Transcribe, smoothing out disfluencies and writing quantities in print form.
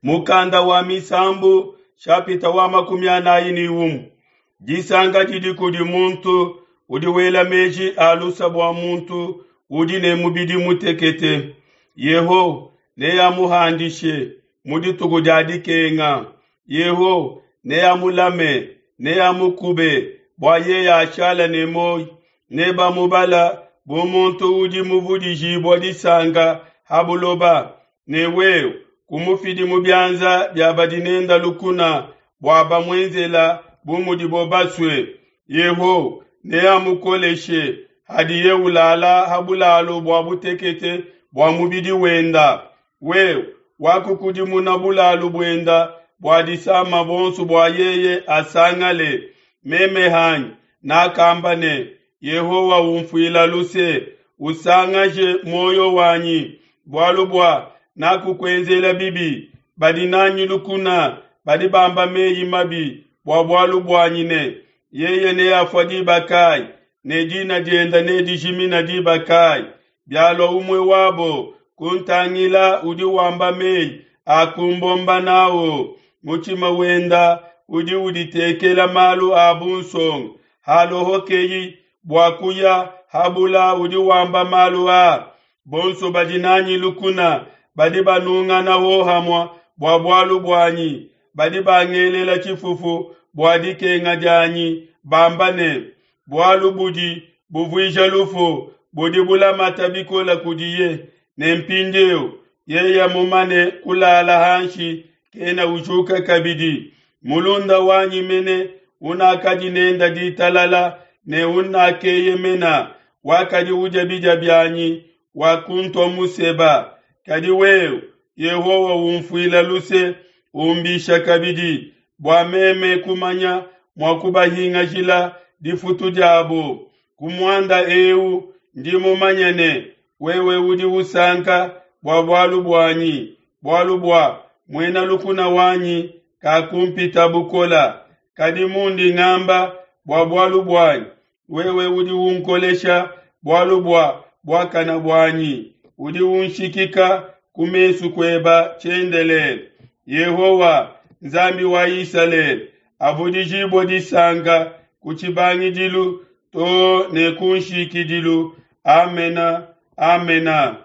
Mukanda wa Misambu shapita wa 41. Disanka didi kudi muntu udi wela meji a lusa bua muntu udi ne mubidi mutekete. Yehowa neamuhandishe mu dituku dia dikenga. Yehowa neamulame, neamukube bua yeye ashala ne muoyo. Nebamubala bu muntu udi muvudijibua disanka ha buloba. Ne wewe kumufidi mu bianza bia badi nenda lukuna bua bamuenzela bu mudibo basue. Yehowa neamukoleshe hadiye ulala ha bulalu bua butekete bua mubidi wenda. Wewe wakukudimuna bulalu buenda bua disama bonso bua yeye asangale. Meme hanyi nakamba ne, Yehowa umfuila luse, usangaje muoyo wanyi, bualu bua nakukuenzela bibi. Badi nanyi lukuna badi bamba meyi mabi bua bualu buanyi ne, yeye neafua diba kayi, ne dina dienda nedijimina diba kayi? Bialua umue wabo kuntangila udi wamba meyi a kumbomba nawo, mutshima wenda udi uditekela malu a bunsonga. Halohokeyi bua kuya habula udi wamba malu a. Bonso badi nanyi lukuna badi banungana hohamua bua bualu buanyi, badi bangelela tshifufu bua dikenga dianyi, bamba ne, bualu budi buvuija lufu budi bulamata bikola kudiye. Ne mpindieu yeye mumane kulala hanshi kena ujuka kabidi. Mulunda wanyi mene unakadi nenda ditalala ne unakeyemena, wakadi udia bidia bianyi, wakuntua museba. Kadi wewe Yehowa umfuila luse, umbisha kabidi, bua meme kumanya mua kubahingajila difutu diabo. Ku muanda eu ndi mumanye ne, wewe udi usanka bua bualu buanyi, bualu bua muena lukuna wanyi kakumpita bukola. Kadi mundi ngamba bua bualu buanyi, wewe udi unkolesha bualu bua buakana buanyi, udi unshikika ku mesu kueba tshiendelele. Yehowa Nzambi wa Isalele avudijibue disanka ku tshibangidilu to ne ku nshikidilu. Amena, amena.